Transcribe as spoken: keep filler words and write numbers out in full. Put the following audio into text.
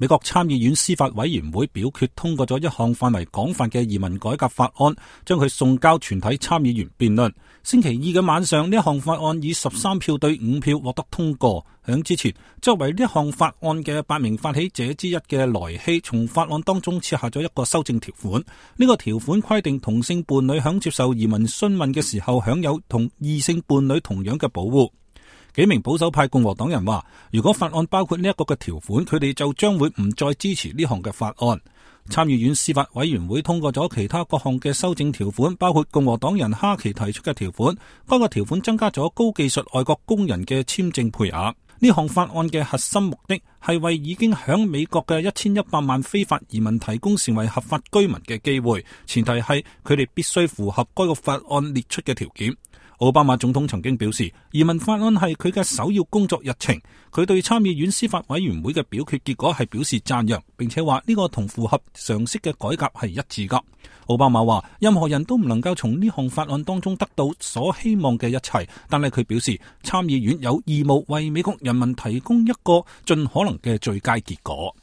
美國參議院司法委員會表決通過咗一項範圍廣泛嘅移民改革法案，將佢送交全體參議員辯論。星期二嘅晚上，呢一項法案以十三票對五票獲得通過。響之前，作為呢一項法案嘅八名發起者之一嘅萊希，從法案當中設下咗一個修正條款。呢個條款規定同性伴侶響接受移民詢問嘅時候，享有同異性伴侶同樣嘅保護。幾名保守派共和黨人話，如果法案包括呢一個嘅條款，佢哋就將會唔再支持呢項嘅法案。參議院司法委員會通過咗其他各項嘅修正條款，包括共和黨人哈奇提出嘅條款。該個條款增加咗高技術外國工人嘅簽證配額。呢項法案嘅核心目的係為已經響美國嘅一千一百萬非法移民提供成為合法居民嘅機會，前提係佢哋必須符合該個法案列出嘅條件。奧巴馬總統曾經表示，移民法案係佢嘅首要工作日程。佢對參議院司法委員會嘅表決結果係表示讚揚，並且話呢個同符合常識嘅改革係一致噶。奧巴馬話，任何人都唔能夠從呢項法案當中得到所希望嘅一切，但係佢表示參議院有義務為美國人民提供一個盡可能嘅最佳結果。